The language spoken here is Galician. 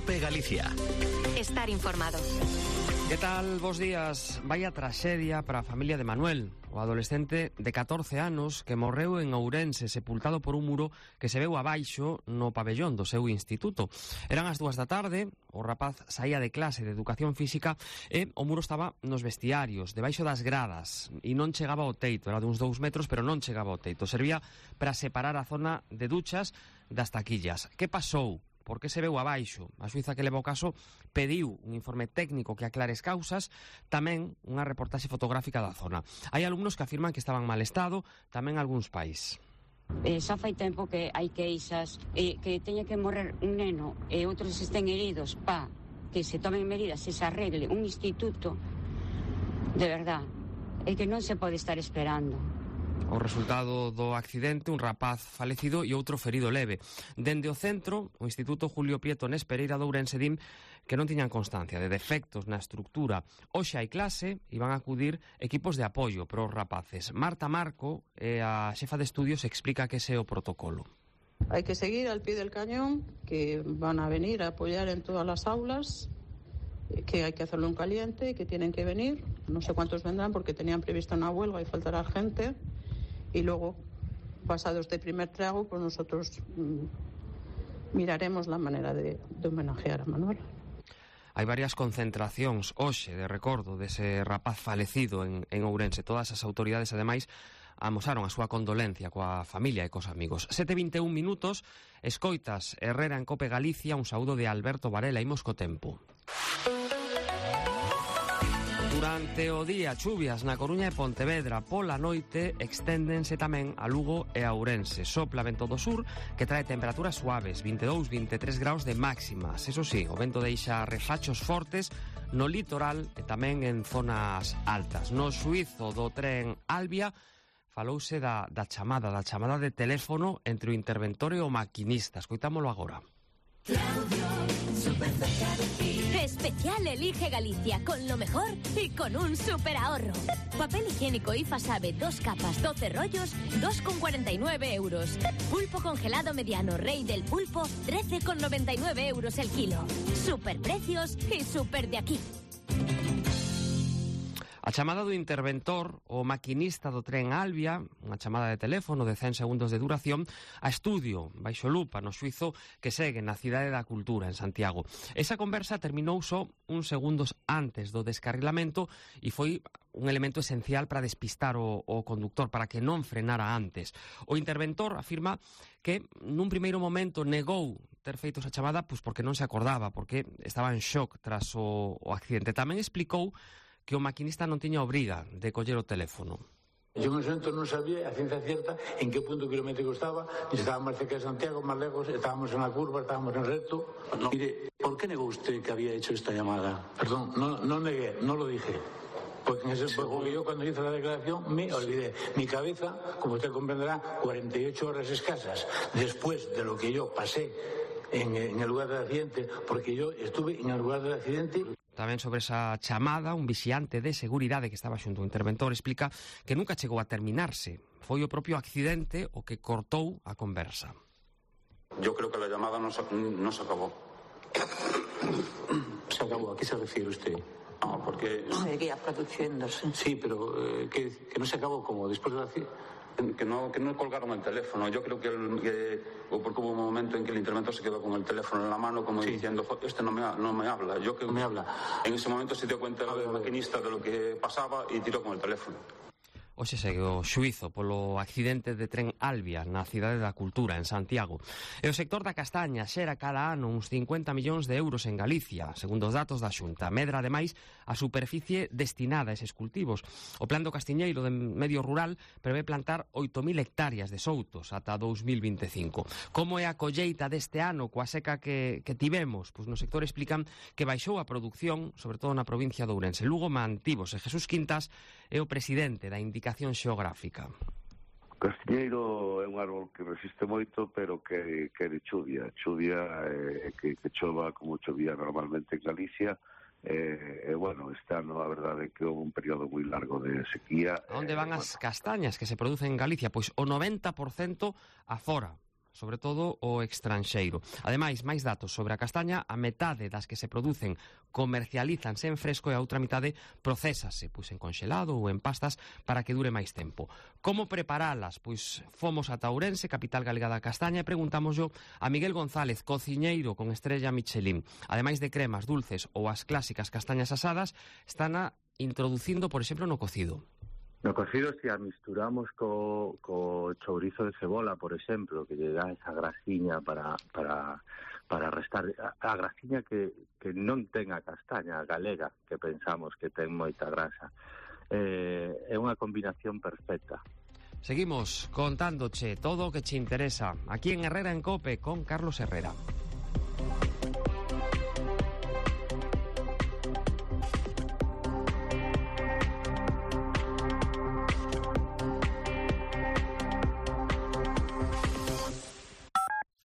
COPE Galicia. Estar informado. Que tal? Bos días. Vaya traxedia para a familia de Manuel, o adolescente de 14 anos que morreu en Ourense sepultado por un muro que se veu abaixo no pabellón do seu instituto. Eran as 2 da tarde, o rapaz saía de clase de educación física e o muro estaba nos vestiarios, debaixo das gradas, e non chegaba ao teito, era de uns 2 metros, pero non chegaba ao teito. Servía para separar a zona de duchas das taquillas. Que pasou? Por que se veu abaixo? A xuíza que leva o caso pediu un informe técnico que aclare as causas, tamén unha reportaxe fotográfica da zona. Hai alumnos que afirman que estaban en mal estado, tamén algúns pais. Xa fai tempo que hai queixas que teña que morrer un neno e outros estén heridos, que se tomen medidas, se arregle un instituto, de verdad, é que non se pode estar esperando. O resultado do accidente, un rapaz falecido e outro ferido leve. Dende o centro, o Instituto Julio Prieto Nespereira de Ourense din que non tiñan constancia de defectos na estructura. Hoxe hai clase e van a acudir equipos de apoio para os rapaces. Marta Marco, a xefa de estudios, explica que ese é o protocolo. Hay que seguir al pie del cañón, que van a venir a apoyar en todas las aulas, que hay que hacerlo en caliente, que tienen que venir. No sé cuántos vendrán porque tenían prevista una huelga y faltará gente. Y luego, pasado este primer trago, pues nosotros miraremos la manera de homenajear a Manuel. Hai varias concentracións hoxe de recordo dese rapaz falecido en Ourense. Todas as autoridades, ademais, amosaron a súa condolencia coa familia e cos amigos. 7:21 minutos, escoitas Herrera en Cope Galicia, un saúdo de Alberto Varela. Imos co tempo. Durante o día, chuvias na Coruña e Pontevedra. Pola noite exténdense tamén a Lugo e a Ourense. Sopla vento do sur que trae temperaturas suaves, 22-23 graus de máximas. Eso sí, o vento deixa refachos fortes no litoral e tamén en zonas altas. No xuízo do tren Albia falouse da chamada de teléfono entre o interventor e o maquinista. Escoitámolo agora. Claudio, súper cerca de ti. Especial Elige Galicia, con lo mejor y con un súper ahorro. Papel higiénico IFA-SAVE, 2 capas, 12 rollos, 2,49 euros. Pulpo congelado mediano Rey del Pulpo, 13,99 euros el kilo. Super precios y súper de aquí. A chamada do interventor, o maquinista do tren Albia, unha chamada de teléfono de 100 segundos de duración, a estudio, baixo lupa, no xuízo que segue na Cidade da Cultura, en Santiago. Esa conversa terminou só uns segundos antes do descarrilamento e foi un elemento esencial para despistar o conductor, para que non frenara antes. O interventor afirma que nun primeiro momento negou ter feito esa chamada porque non se acordaba, porque estaba en shock tras o accidente. Tamén explicou que o maquinista non tiña obriga de coller o teléfono. Eu en ese momento non sabía a ciencia cierta en que punto kilométrico estaba, e estaba máis cerca de Santiago, máis lejos, estábamos en la curva, estábamos en recto. No. Mire, ¿por qué negó usted que había hecho esta llamada? Perdón, no negué, no lo dije. Porque en ese porque yo cuando hice la declaración me olvidé. Mi cabeza, como usted comprenderá, 48 horas escasas después de lo que yo pasé en el lugar del accidente, porque yo estuve en el lugar del accidente. Tamén sobre esa chamada, un vixiante de seguridade que estaba xunto ao interventor explica que nunca chegou a terminarse. Foi o propio accidente o que cortou a conversa. Yo creo que la llamada no se acabó. ¿Se acabó? ¿A qué se refiere usted? No, porque... Seguía produciéndose. Sí, pero que no se acabó como después de la accidente. Que no colgaron el teléfono. Yo creo porque hubo un momento en que el interventor se quedó con el teléfono en la mano como diciendo, este no me habla. Yo que me habla. En ese momento se dio cuenta el maquinista de lo que pasaba y tiró con el teléfono. Hoxe segue o xuízo polo accidente de tren Albia na Cidade da Cultura, en Santiago. E o sector da castaña xera cada ano uns 50 millóns de euros en Galicia, segundo os datos da Xunta. Medra, ademais, a superficie destinada a eses cultivos. O Plan do Castiñeiro de Medio Rural prevé plantar 8.000 hectáreas de soutos ata 2025. Como é a colleita deste ano coa seca que tivemos? Pois no sector explican que baixou a produción, sobre todo na provincia de Ourense. Lugo mantívose. Jesús Quintas é o presidente da indicación xeográfica. O castiñeiro é un árbol que resiste moito, pero que de chuvia que chova como chovía normalmente en Galicia. Bueno, este ano a verdade é que houve un período moi largo de sequía. Onde van as castañas que se producen en Galicia? Pois o 90% afora. sobre todo o extranxeiro. Ademais, máis datos sobre a castaña, a metade das que se producen comercialízanse en fresco e a outra metade procésase, pois en conxelado ou en pastas para que dure máis tempo. Como preparalas? Pois fomos a Ourense, capital galega da castaña, e preguntámoslo a Miguel González, cociñeiro con estrella Michelin. Ademais de cremas dulces ou as clásicas castañas asadas, están introducindo, por exemplo, no cocido. No cocido, si a misturamos co chourizo de cebola, por exemplo, que lle dá esa grasiña para restar a grasiña que non ten a castaña galega, que pensamos que ten moita grasa. É unha combinación perfecta. Seguimos contándoche todo o que che interesa aquí en Herrera en Cope con Carlos Herrera.